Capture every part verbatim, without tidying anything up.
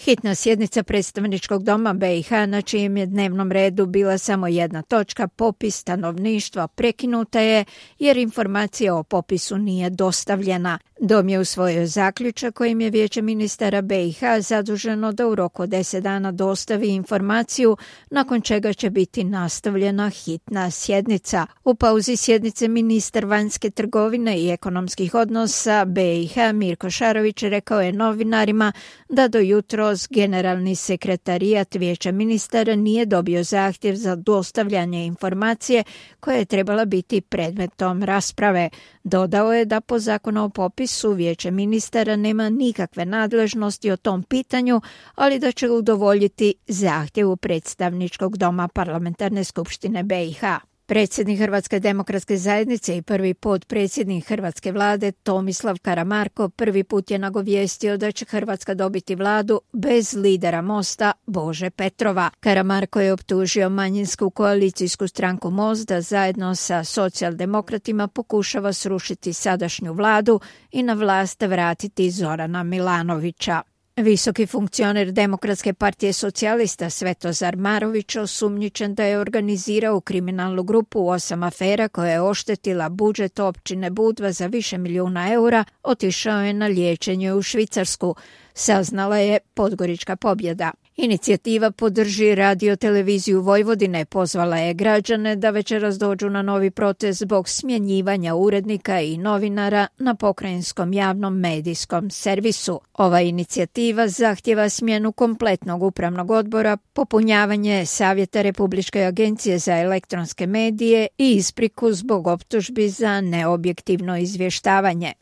Hitna sjednica predstavničkog doma B i H, na čijem je dnevnom redu bila samo jedna točka, popis stanovništva, prekinuta je jer informacija o popisu nije dostavljena. Dom je usvojio zaključak kojim je Vijeće ministara B i H zaduženo da u roku od deset dana dostavi informaciju, nakon čega će biti nastavljena hitna sjednica. U pauzi sjednice ministar vanjske trgovine i ekonomskih odnosa B i H Mirko Šarović rekao je novinarima da do jutros generalni sekretarijat Vijeća ministara nije dobio zahtjev za dostavljanje informacije koja je trebala biti predmetom rasprave. Dodao je da po zakonu o popisu Vijeće ministara nema nikakve nadležnosti o tom pitanju, ali da će udovoljiti zahtjevu predstavničkog doma Parlamentarne skupštine B i H. Predsjednik Hrvatske demokratske zajednice i prvi potpredsjednik hrvatske vlade Tomislav Karamarko prvi put je nagovijestio da će Hrvatska dobiti vladu bez lidera Mosta Bože Petrova. Karamarko je optužio manjinsku koalicijsku stranku Most da zajedno sa socijaldemokratima pokušava srušiti sadašnju vladu i na vlast vratiti Zorana Milanovića. Visoki funkcioner Demokratske partije socijalista Svetozar Marović osumnjičen da je organizirao kriminalnu grupu u osam afera koja je oštetila budžet općine Budva za više milijuna eura, otišao je na liječenje u Švicarsku, saznala je Podgorička pobjeda. Inicijativa Podrži radio-televiziju Vojvodine pozvala je građane da večeras dođu na novi protest zbog smjenjivanja urednika i novinara na pokrajinskom javnom medijskom servisu. Ova inicijativa zahtjeva smjenu kompletnog upravnog odbora, popunjavanje Savjeta Republičke agencije za elektronske medije i ispriku zbog optužbi za neobjektivno izvještavanje.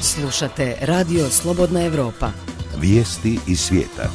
Slušate Radio Slobodna Evropa. Vijesti iz svijeta.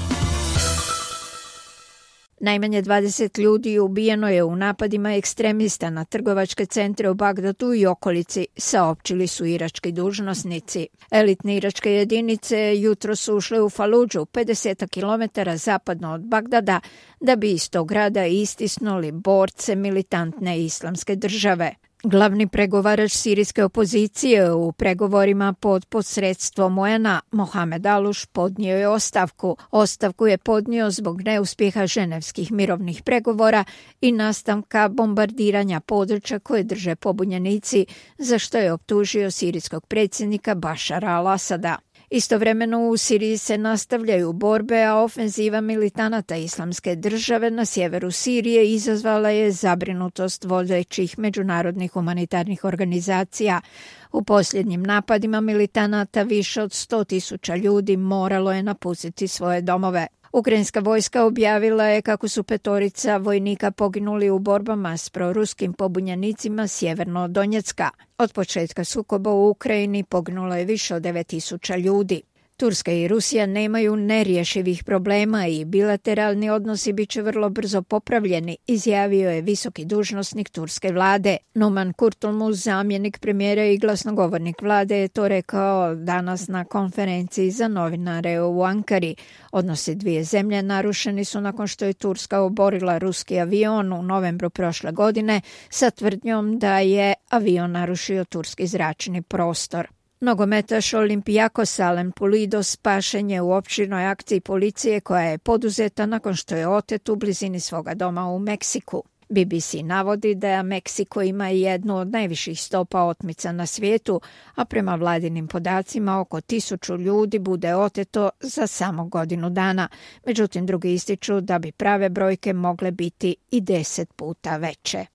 Najmanje dvadeset ljudi ubijeno je u napadima ekstremista na trgovačke centre u Bagdadu i okolici, saopćili su irački dužnosnici. Elitne iračke jedinice jutro su ušle u Faludžu, pedeset kilometara zapadno od Bagdada, da bi iz tog grada istisnuli borce militantne islamske države. Glavni pregovarač sirijske opozicije u pregovorima pod posredstvom U N-a, Mohamed Aluš, podnio je ostavku. Ostavku je podnio zbog neuspjeha ženevskih mirovnih pregovora i nastavka bombardiranja područja koje drže pobunjenici, za što je optužio sirijskog predsjednika Bašara al-Asada. Istovremeno u Siriji se nastavljaju borbe, a ofenziva militanata islamske države na sjeveru Sirije izazvala je zabrinutost vodećih međunarodnih humanitarnih organizacija. U posljednjim napadima militanata više od sto tisuća ljudi moralo je napustiti svoje domove. Ukrajinska vojska objavila je kako su petorica vojnika poginuli u borbama s proruskim pobunjenicima sjeverno od Donjecka. Od početka sukoba u Ukrajini poginulo je više od devet tisuća ljudi. Turska i Rusija nemaju nerješivih problema i bilateralni odnosi bit će vrlo brzo popravljeni, izjavio je visoki dužnosnik turske vlade. Numan Kurtulmuz, zamjenik premijera i glasnogovornik vlade, je to rekao danas na konferenciji za novinare u Ankari. Odnosi dvije zemlje narušeni su nakon što je Turska oborila ruski avion u novembru prošle godine sa tvrdnjom da je avion narušio turski zračni prostor. Nogometaš Olympiakos Alen Pulido spašen je u opširnoj akciji policije koja je poduzeta nakon što je otet u blizini svoga doma u Meksiku. B B C navodi da Meksiko ima jednu od najviših stopa otmica na svijetu, a prema vladinim podacima oko tisuću ljudi bude oteto za samo godinu dana. Međutim, drugi ističu da bi prave brojke mogle biti i deset puta veće.